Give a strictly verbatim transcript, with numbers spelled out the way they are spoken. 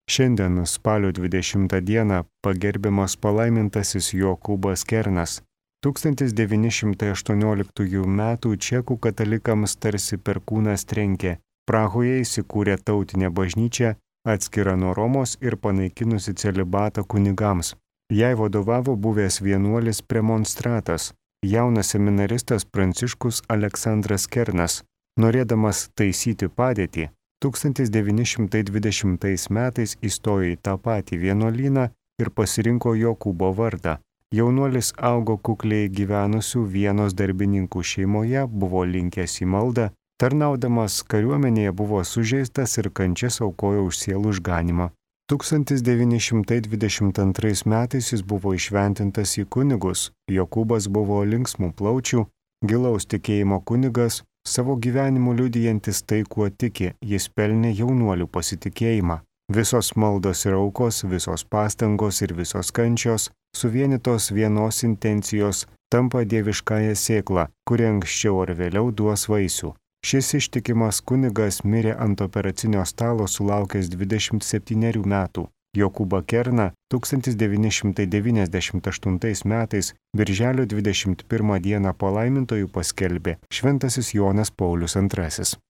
Šiandien spalio dvidešimtą dieną pagerbiamas palaimintasis Jokūbas Kernas. tūkstantis devyni šimtai aštuonioliktųjų metų čekų katalikams tarsi perkūnas trenkė. Prahoje įsikūrė tautinė bažnyčia, atskira nuo Romos ir panaikinusi celibatą kunigams. Jai vadovavo buvęs vienuolis premonstratas, jaunas seminaristas Pranciškus Aleksandras Kernas. Norėdamas taisyti padėtį, tūkstantis devyni šimtai dvidešimtais metais įstojo į tą patį vienuolyną ir pasirinko Jokūbo vardą. Jaunuolis augo kukliai gyvenusių Vienos darbininkų šeimoje, buvo linkęs į maldą, tarnaudamas kariuomenėje buvo sužeistas ir kančias aukojo už sielų išganymą. tūkstantis devyni šimtai dvidešimt antrais metais jis buvo įšventintas į kunigus. Jokūbas buvo linksmų plaučių, gilaus tikėjimo kunigas, savo gyvenimu liudijantis tai, kuo tiki, jis pelnė jaunuolių pasitikėjimą. Visos maldos ir aukos, visos pastangos ir visos kančios, suvienytos vienos intencijos, tampa dieviškąją sėklą, kuri anksčiau ar vėliau duos vaisių. Šis ištikimas kunigas mirė ant operacinio stalo sulaukęs dvidešimt septynerių metų. Jokūbą Kerną tūkstantis devyni šimtai devyniasdešimt aštuntais metais birželio dvidešimt pirmą dieną palaimintoju paskelbė šventasis Jonas Paulius antrasis.